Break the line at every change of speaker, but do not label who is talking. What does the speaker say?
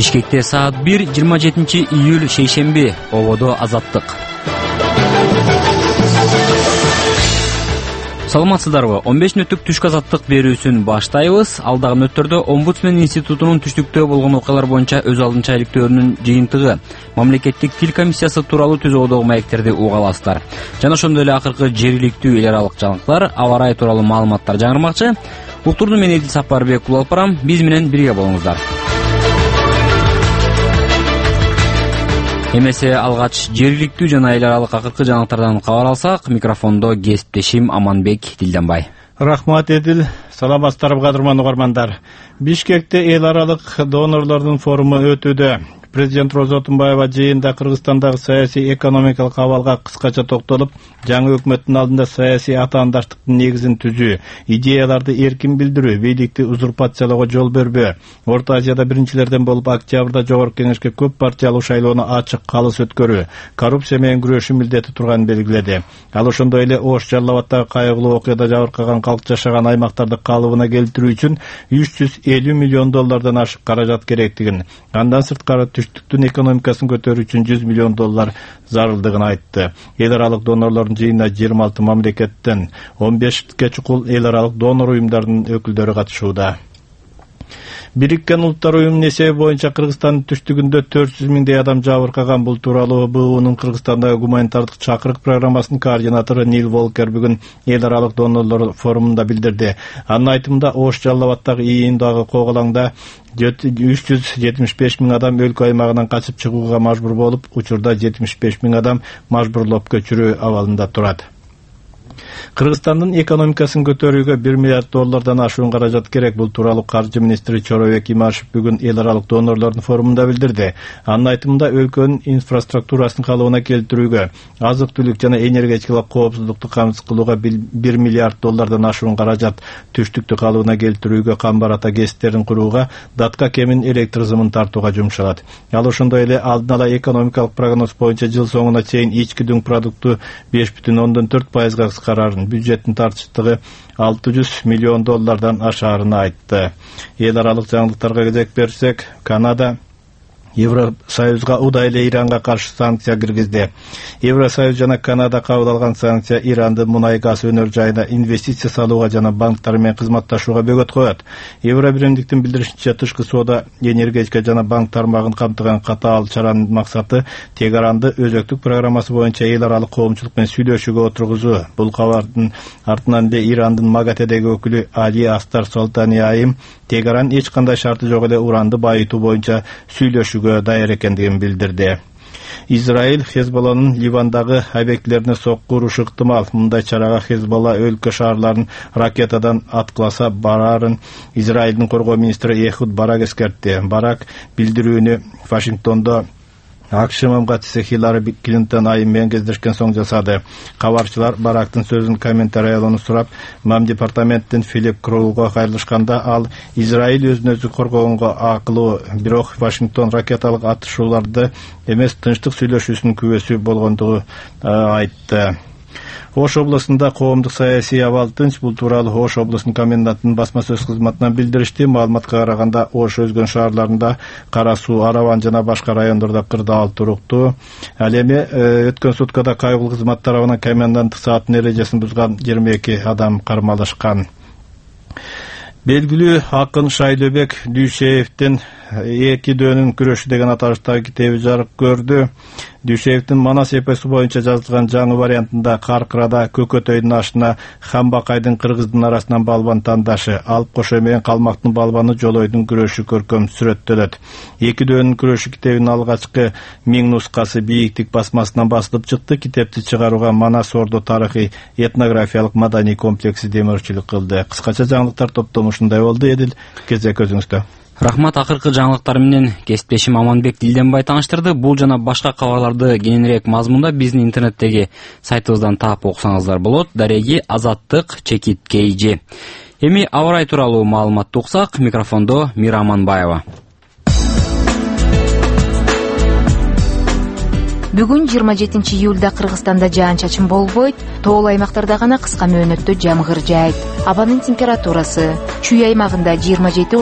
Бишкекте саат 1, 27 июль шейшемби. Ободо Азаттык. Саламатсыздарбы? 15 мүнөттүк түшкү азаттык берүүсүн баштайбыз. Алдагы мүнөттөрдө Омбудсмен институтунун түштүктө болгон окуялар боюнча өз алдынча иликтөөнүн жыйынтыгы, мамлекеттик тил комиссиясы тууралуу түзүүдөгү маектерди уга аласыздар. Жана ошондой эле акыркы жергиликтүү эл аралык жаңылыктар, аба ырайы тууралуу маалыматтар жаңырмакчы. Уктурду мен Эдил Сапарбек улуу алып барам. Биз менен бирге болуңуздар. Эмесе алгач жергиликтүү жана эл аралык акыркы жаңылыктардан кабар алсак, микрофондо кесиптешим Аманбек Дилденбай.
Рахмат Эдил. Саламатсыздарбы кадырман угармандар. Бишкекте эл аралык донорлордун форуму өтүүдө. Президент Роза Отунбаева жыйында Кыргызстандагы саясий экономикалык абалга кыскача токтолуп, жаңы өкмөттүн алдында саясий атаандаштыктын негизин түзүү, идеяларды эркин билдирүү, бийликти узурпациялоого жол бербөө, Орто Азияда биринчилерден болуп октябрда Жогорку Кеңешке көп партиялуу шайлоону ачык калыс өткөрүү, коррупция менен күрөшүү милдети турганын белгиледи. Ал ошондой эле Ош Жалал Абаддагы кайгылуу окуяда жабыркаган калк жашаган аймактарды калыбына келтирүү үчүн $350 миллион ашык каражат керектигин, андан сырткары түштүктүн экономикасын көтөрүү үчүн $100 миллион зарылдыгын айтты. Эл аралык донорлордун жыйынына 26 мамлекеттен 15ке чукул эл аралык донор уюмдарынын өкүлдөрү катышууда. Бириккен Улуттар уюмунун эсеби боюнча Кыргызстандын түштүгүндө 400 миңдей адам жабыркаган. Бул тууралуу БУнун Кыргызстандагы гуманитардык чакырык программасынын координатору Нил Волкер бүгүн эл аралык донорлор форумунда билдирди. Анын айтымында Ош Жалал Абаддагы ИИНдагы коголаңда 375 миң адам өлкө аймагынан качып чыгууга мажбур болуп, учурда 75 миң адам мажбурлоп көчүрүү абалында турат. Кыргызстандын экономикасын көтөрүүгө $1 миллиард ашуун каражат керек. Бул тууралуу каржы министри Чоробек Имашев бүгүн эл аралык донорлордун форумунда билдирди. Анын айтымында өлкөнүн инфраструктурасын калыбына келтирүүгө, азык-түлүк жана энергетикалык коопсуздукту камсыз кылууга $1 миллиард ашуун каражат, түштүктү калыбына келтирүүгө, камбар-ата кесиптерин курууга, датка кемин электр зымын тартууга жумшалат. Ал ошондой эле алдын ала экономикалык прогноз боюнча жыл соңуна чейин ички дүң продукту 5,4% кыскарарын, бюджеттин тартыштыгы $600 миллион ашаарын айтты. Эл аралык жаңылыктарга кезек берсек, Канада Евросоюзга удай эле Иранга каршы санкция киргизди. Евросоюз жана Канада кабыл алган санкция Ирандын мунай-газ өнөр жайына инвестиция салууга жана банктар менен кызматташууга бөгөт коет. Евробиримдиктин билдиришинче, тышкы соода, энергетика жана банк тармагын камтыган катаал чаранын максаты Тегаранды өзөктүк программасы боюнча эл аралык коомчулук менен сүйлөшүүгө отургузуу. Бул кабардын артынан эле Ирандын Магатедеги өкүлү Али Астар Солтани айым Тегаран эч кандай шарты жок эле уранды байытуу боюнча сүйлөшүүгө даяр экендигин билдирди. Израиль Хезболланын Ливандагы объектилерине сокку урушу ыктымал. Мындай чарага Хезболла өлкө шаарларын ракетадан аткыласа барарын Израилдин коргоо министри Эхуд Барак эскертти. Барак билдирүүнү Вашингтондо АКШ мамгатчысы Хиллари Клинтон айым менен кездешкен соң жасады. Кабарчылар Барактын сөзүн комментариялоону сурап, Мам департаменттин Филипп Кроуга кайрылышканда, ал Израиль өзүн өзү коргогонго акылуу, бирок Вашингтон ракеталык атышууларды эмес, тынчтык сүйлөшүүсүнүн күбөсү болгондугу айтты. Ош областында коомдук саясий абал тынч. Бул тууралуу Ош областынын комендантынын басма сөз кызматынан билдиришти. Маалыматка караганда, Ош өзгөн шаарларында Кара Суу, Араван жана башка райондордо кырдаал туруктуу. Ал эми өткөн суткада кайгылуу кызмат тарабынан коменданттык сааттын эрежесин бузган 22 адам кармалышкан. Белгилүү акын Шайлөбек Дүйшеевдин эки дөөнүн күрөшү деген аталыштагы китеби жарык көрдү. Дүйшеевдин Манас эпосу боюнча жазылган жаңы вариантында Каркырада Көкөтөйдүн ашына Хамбакайдын кыргыздын арасынан балбан тандашы, Алып Кошой менен Калмактын балбаны Жолойдун күрөшү көркөм сүрөттөлөт. Эки дөөнүн күрөшү китебинин алгачкы 1000 нускасы бийиктик басмасынан басылып чыкты. Китепти чыгарууга Манас Ордо тарыхый этнографиялык маданий комплекси демөөрчүлүк кылды. Кыскача жаңылыктар топтому ушундай болду. Эдил, кезек өзүңүздө.
Рахмат, акыркы жаңылыктар менен кесиптешим Аманбек Дилденбай тааныштырды. Бул жана башка кабарларды кененирээк мазмунда биздин интернеттеги сайтыбыздан таап окусаңыздар болот. Дареги Азаттык_KG. Эми аба ырайы тууралуу маалыматты уксак, микрофондо Мира Аманбаева.
Бүгүн 27 июлда Кыргызстанда жаан-чачын болбойт, тоол аймактарда гана кыска мөөнөттө жамгыр жаайт. Абанын температурасы Чүй аймагында 27-30